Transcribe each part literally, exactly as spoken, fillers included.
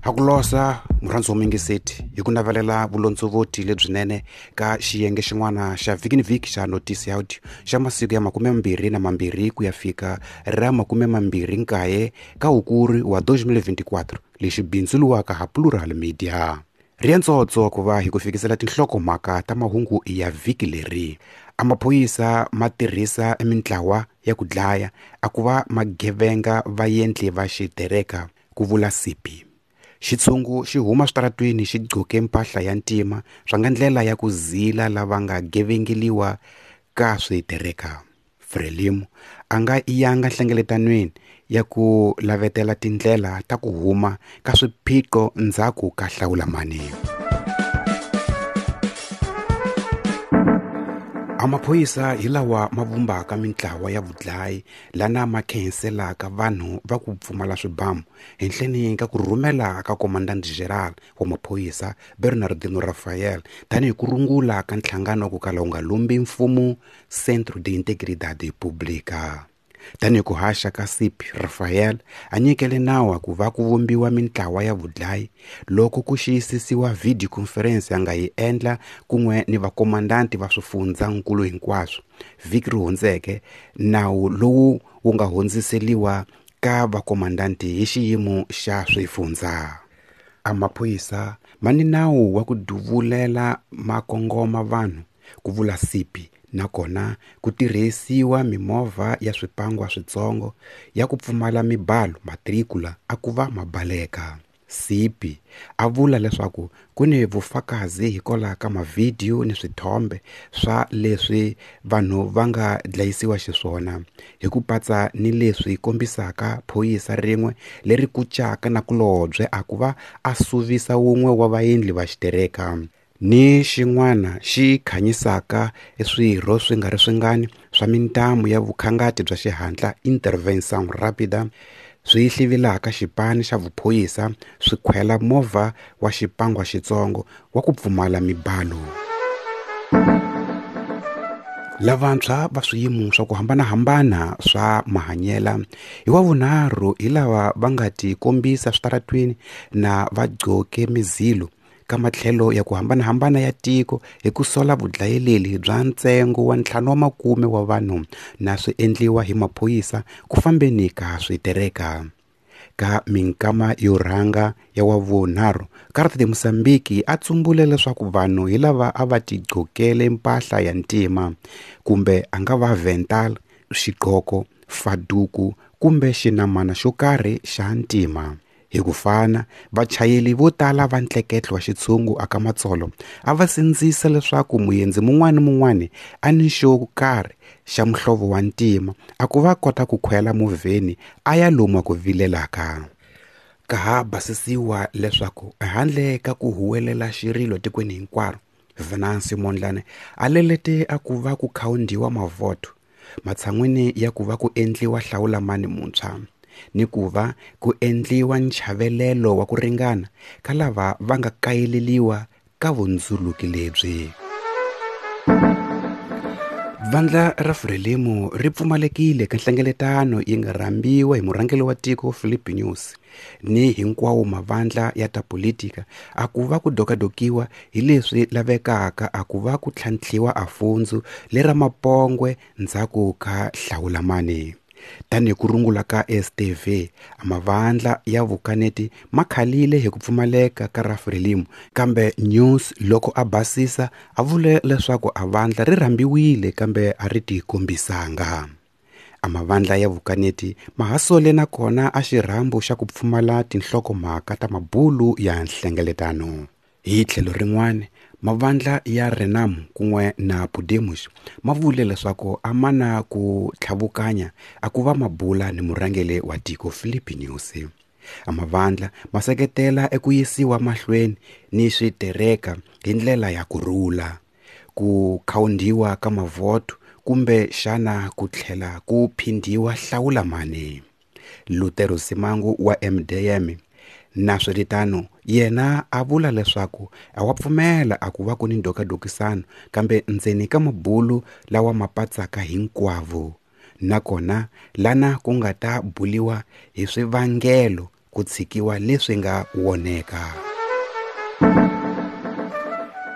Hakulosa murhandzi wa mingiseti hi ku navelela vulondzovoti lebyinene ka xiyenge xin'wana xa vhiki ni vhiki xa Notice Audio xa masiku ya makume mambirhi na mambirhi ku ya fika ra makume mambirhi nkaye ka Hukuri wa twenty twenty-four lexi bindzuluwaka ha Plural Media. Rientsotso ku va hi ku fikisela tinhlokomhaka ta mahungu ya vhiki leri. A maphorisa ma tirhisa mintlawa ya ku dlaya a ku va magevenga va endli va xitereka ku vula C P. Xitshungu xi huma switaratwini xi gqoke mpahla ya ntima swa nga ndlela ya ku zila lava nga gevengeliwa ka switereka. Frelimo a nga yanga nhlengeletanweni ya ku lavetela tindlela ta ku huma ka swiphiqo ndzhaku ka hlawulamani. A maphorisa hi lawa ma vumbaka mintlawa ya vudlayi lana ma khenselaka vanhu va ku pfumala swibamu henhleni ka ku rhumela ka Commandant General wa maphorisa Bernardino Rafael tanihi ku rungula ka nhlangano ku kala wu nga lumbi mfumo Centro de Integridade Pública. Tanihi ku haxa ka C P Rafael a nyikele nawu ku va ku vumbiwa mintlawa ya vudlayi loko ku xiyisisiwa video conference a nga yi endla kun'we ni vakomandanti va swifundzankulu hinkwaswo vhiki ri hundzeke. Nawu lowu wu nga hundziseliwa ka vakomandanti hi xiyimo xa swifundza. A maphorisa ma ni nawu wa ku duvulela makongoma vanhu ku vula C P, nakona ku tirhisiwa mimovha ya swipangwa switsongo ya ku pfumala mibalo matricula a ku va mabaleka. C P a vula leswaku ku ni vufakazi hikwalaho ka mavhidiyo ni swithombe swa leswi vanhu va nga dlayisiwa xiswona hi ku patsa ni leswi kombisaka phorisa rin'we leri kucaka na kulobye a ku va a suvisa wun'we wa vaendli va xitereka ni xin'wana xi khanyisaka swirho swi nga ri swingani swa mintamu ya vukhangati bya xihatla intervenção rápida swi hlivilaka xipani xa vuphorisa swi khwela movha wa xipangwa xitsongo wa ku pfumala mibalo. Lavantshwa va swiyimo swa ku hambanahambana swa mahanyela hi wa vunharhu hi lava va nga ti kombisa switaratwini na va gqoke mizilo ka matlhelo ya ku hambanahambana ya tiko hi ku sola vudlayeleli bya ntsengo wa ntlhanu wa makume wa vanhu na swi endliwa hi maphorisa ku fambeni ka switereka. Ka minkama yo rhanga ya wa vunharhu Carta de Moçambique a tsumbule leswaku vanhu hi lava a va tigqokele mpahla ya ntima kumbe a nga va vental, xigqoko, faduku kumbe xinamana xo karhi xa ntima. Hi ku fana, vachayeri vo tala va ntleketlo wa xitshungu aka matsolo a va sindzisa leswaku muendzi mun'wana ni mun'wana a ni xo karhi xa muhlovo wa ntima a ku va kota ku khwela movheni a ya lomu ku vilelaka. Ka ha basisiwa leswaku handle ka ku huwelela xirilo tikweni hinkwaro, Venancio Mondlane a lelete a ku va ku khawundiwa mavhoto matshan'wini ya ku va ku endliwa hlawulamani muntshwa ni ku va ku endliwa nchavelelo wa ku ringana ka lava va nga kayeleliwa ka vundzuluki lebyi. Vandla ra Frelimo ri pfumalekile ka nhlengeletano yi nga rhambiwa hi murhangeri wa tiko Filipe Nyusi ni hinkwawo mavandla ya ta politika a ku va ku dokadokiwa hi leswi lavekaka a ku va ku tlhantlhiwa afundzu lera mapongwe ndzhaku ka hlawulamani. Tanihi ku rungula ka S T V, mavandla ya vukaneti ma khalile hi ku pfumaleka ka ra Frelimo, kambe News loko a basisa a vule leswaku a vandla ri rhambiwile kambe a ri tikombisanga. A mavandla ya vukaneti ma ha sole nakona a xirhambo xa ku pfumala tinhlokomhaka ta mabulu ya nhlengeletano. Hi tlhelo rin'wana, mavandla ya Renamo kun'we na Podemos ma vule leswaku a ma na ku tlhavukanya a ku va mabula ni murhangeri wa tiko Filipe Nyusi. A mavandla ma seketela eku yisiwa mahlweni ni switereka hi ndlela ya ku rhula, ku khawundiwa ka mavhoto kumbe xana ku tlhela ku phindhiwa hlawulamani. Lutero Simango wa M D M na swiritano yena a vula leswaku a wa pfumela a ku va ku ni ndokadokisano kambe ndzeni ka mabulu lawa ma patsaka hinkwavo nakona lana ku nga ta buliwa hi swivangelo ku tshikiwa leswi nga woneka.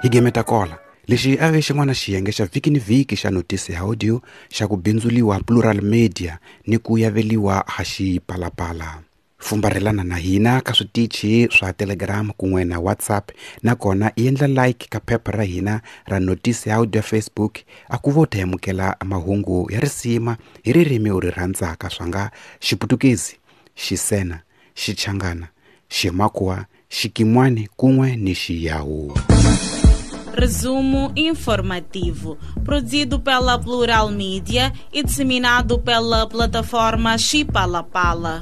Hi gemeta kola lexi a ve xin'wana xiyenge xa vhiki ni vhiki xa notisi ya audio xa ku bindzuliwa Plural Media ni ku yaveliwa ha Xipalapala. Fumbarhelana na hina ka switichi swa Telegram kun'we na WhatsApp, nakona endla like ka phepha ra hina ra notisi ya audio Facebook a ku vo ta amukela mahungu ya risima hi ririmi u ri rhandzaka swa nga Xiputukezi, Xisena, Xichangana, Ximakua, Xikimwani kun'we ni Xiyawu. Resumo informativo, produzido pela Plural Media e disseminado pela plataforma Xipalapala.